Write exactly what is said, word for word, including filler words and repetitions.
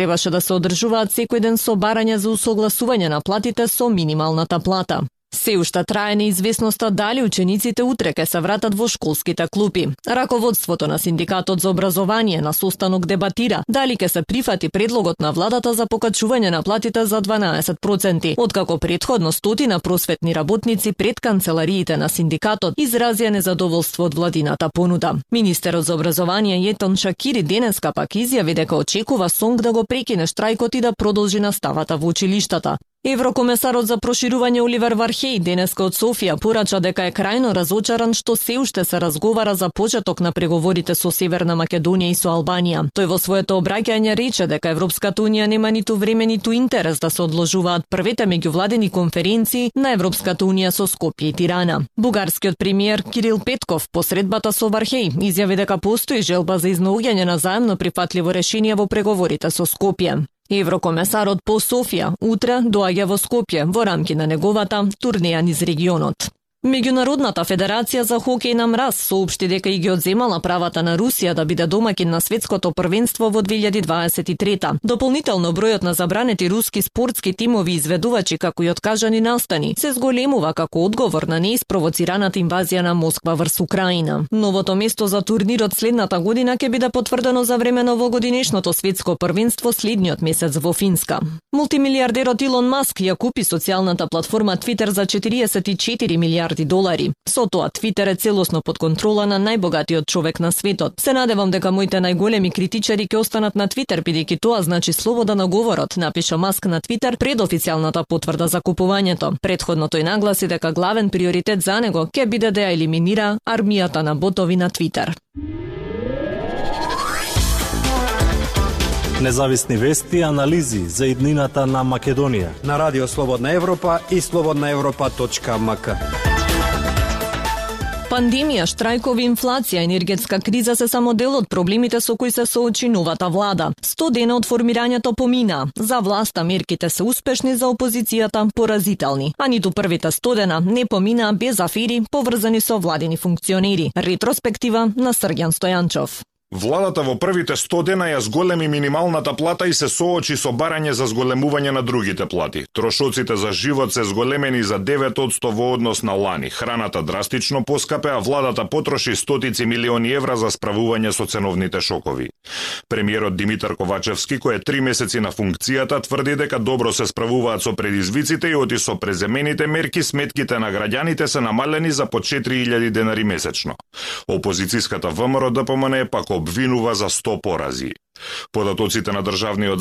Требаше да се одржуваат секој ден собарања за усогласување на платите со минималната плата. Се уште трае неизвестноста дали учениците утре ќе се вратат во школските клупи. Раководството на Синдикатот за образование на состанок дебатира дали ќе се прифати предлогот на владата за покачување на платите за дванаесет проценти, откако претходно стотина просветни работници пред канцелариите на синдикатот изразија незадоволство од владината понуда. Министерот за образование Јетон Шакири денеска пак изјави дека очекува СОНК да го прекине штрајкот и да продолжи наставата во училиштата. Еврокомесарот за проширување Оливер Вархеј денеска од Софија порача дека е крајно разочаран што се уште се разговара за почеток на преговорите со Северна Македонија и со Албанија. Тој во своето обраќање рече дека Европската унија нема ниту време ниту интерес да се одложуваат првите меѓувладени конференции на Европската унија со Скопје и Тирана. Бугарскиот премиер Кирил Петков по средбата со Вархеј изјави дека постои желба за изнаоѓање на заемно прифатливо решение во преговорите со Скопје. Еврокомесарот по Софија утре доаѓа во Скопје во рамки на неговата турнеја низ регионот. Меѓународната федерација за хокеј на мраз соопшти дека и ги одземала правата на Русија да биде домакин на светското првенство во две илјади дваесет и трета. Дополнително бројот на забранети руски спортски тимови изведувачи како и откажани настани се зголемува како одговор на неиспровоцираната инвазија на Москва врз Украина. Новото место за турнирот следната година ќе биде потврдено за време на овогодинешното светско првенство следниот месец во Финска. Мултимилиардерот Илон Маск ја купи социјалната платформа Твитер за четириесет и четири милиарди долари. Со тоа Твитер е целосно под контрола на најбогатиот човек на светот. Се надевам дека моите најголеми критичари ќе останат на Твитер бидејќи тоа значи слобода на говорот, напиша Маск на Твитер пред официјалната потврда за купувањето. Претходно тој нагласи дека главен приоритет за него ќе биде да ја елиминира армијата на ботови на Твитер. Независни вести и анализи за иднината на Македонија на Радио Слободна Европа и слободна европа точка ем ка. Пандемија, штрајкови, инфлација, енергетска криза се само дел од проблемите со кои се соочи новата влада. сто дена од формирањето помина. За власта мерките се успешни, за опозицијата поразителни. А ниту првите сто дена не помина без афери поврзани со владини функционери. Ретроспектива на Срѓан Стојанчов. Владата во првите сто дена ја зголеми минималната плата и се соочи со барање за зголемување на другите плати. Трошоците за живот се зголемени за девет одсто во однос на лани. Храната драстично поскапе, а владата потроши стотици милиони евра за справување со ценовните шокови. Премиерот Димитар Ковачевски, кој е три месеци на функцијата, тврди дека добро се справуваат со предизвиците и оти со преземените мерки сметките на граѓаните се намалени за по четири илјади денари месечно. Опозицијската ВМРО ДПМН пак обвинува за сто порази. Податоците на Државниот завод